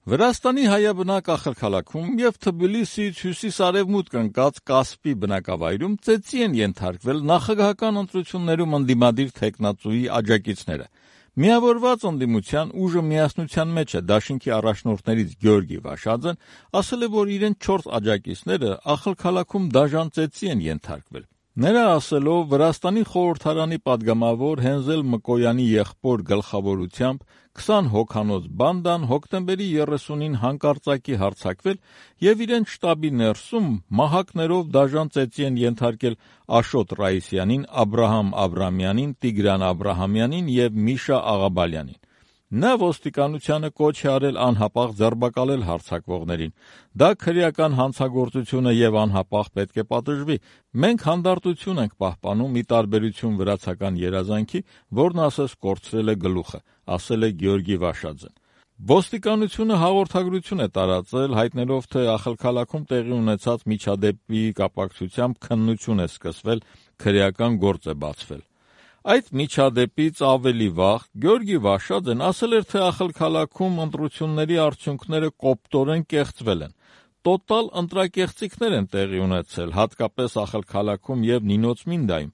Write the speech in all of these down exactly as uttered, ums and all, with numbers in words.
Վրաստանի հայաբնակ աղքալաքում և Թբիլիսիից հյուսիս-արևմուտք ընկած Կասպի բնակավայրում ծեծի են ենթարկվել նախագահական ընտրություններում ընդդիմադիր թեկնածուի աջակիցները։ Միավորված ընդդիմության ուժը միասնության մեջ է դաշինքի առաջնորդներից Գյորգի Վաշաձեն ասել է, որ իրեն չորս աջակիցները աղքալաքում դաժան ծեծի են ենթարկվել։ Նրա ասելով, Վրաստանի խորհրդարանի պատգամավոր Հենզել Մկոյանի եղբոր գլխավորությամբ քսան հոգանոց բանդան հոկտեմբերի երեսունին հանկարծակի հարձակվել և իրենց շտաբի ներսում մահակներով դաժան ծեծի են ենթարկել Աշոտ Ռայիսյանին, Աբրահամ Աբրամյանին, Տիգրան Աբրահամյանին և Միշա Աղաբալյանին։ Նա ոստիկանությանը կոչ է արել անհապաղ ձերբակալել հարձակվողներին։ Դա քրեական հանցագործություն է և անհապաղ պետք է պատժվի։ Մենք հանդարտություն ենք պահպանում՝ ի տարբերություն վրացական երազանքի, որն ասես կորցրել է գլուխը, ասել է Գյորգի Վաշաձեն։ Ոստիկանությունը հաղորդագրություն է տարածել, հայտնելով, թե աղքալաքում տեղի ունեցած միջադեպի կապակցությամբ քննություն է սկսվել, քրեական գործ է բացվել։ Այդ միջադեպից ավելի վաղ Գյորգի Վաշաձեն ասել էր, թե աղքալաքում ընտրությունների արդյունքները կոպտորեն կեղծվել են։ Տոտալ ընտրակեղծիքներ են տեղի ունեցել, հատկապես աղքալաքում և Նինոց Մինդայում։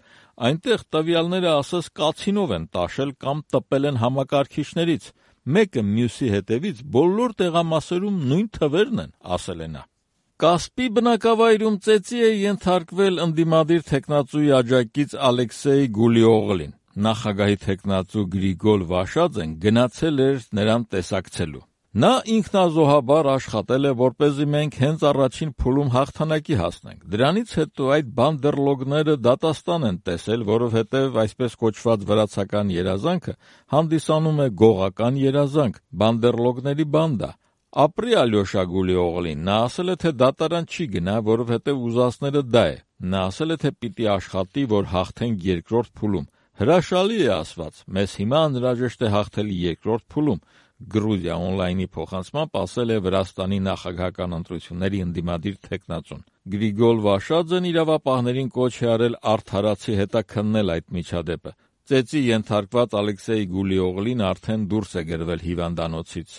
Այնտեղ տվյալները ասես կացինով են տաշել կամ տպել են համակարգիչներից։ Մեկը մյուսի հետևից բոլոր տեղամասերում նույն թվերն են, ասել է նա։ Կասպի բնակավայրում ծեծի է ենթարկվել ընդդիմադիր թեկնածուի աջակից Ալեքսեյ Գուլիօղլին։ Նախագահի թեկնածու Գրիգոր Վաշաձեն գնացել էր նրան տեսակցելու։ Նա ինքնազոհաբար աշխատել է, որպեսզի մենք հենց առաջին փուլում հաղթանակի հասնենք։ Դրանից հետո այդ բանդերլոգները դատաստան են տեսել, որովհետև այսպես կոչված վրացական երազանքը հանդիսանում է գողական երազանք, բանդերլոգների բանդա։ Ապրի Ալյոշա Գուլիօղլին, նա ասել է, թե դատարան չի գնա, որովհետև ուզածները դա է։ Նա ասել է, թե պիտի աշխատի, որ հաղթենք երկրորդ փուլում։ Հրաշալի է ասված, մեզ հիմա անհրաժեշտ է հաղթել երկրորդ փուլում, Գրուզիա օնլայնի փոխանցմամբ ասել է Վրաստանի նախագահական ընտրությունների ընդդիմադիր թեկնածուն։ Գրիգոր Վաշաձեն իրավապահներին կոչ է արել արդարացի հետաքննել այդ միջադեպը։ Ծեծի ենթարկված Ալեքսեյ Գուլիօղլին արդեն դուրս է գրվել հիվանդանոցից։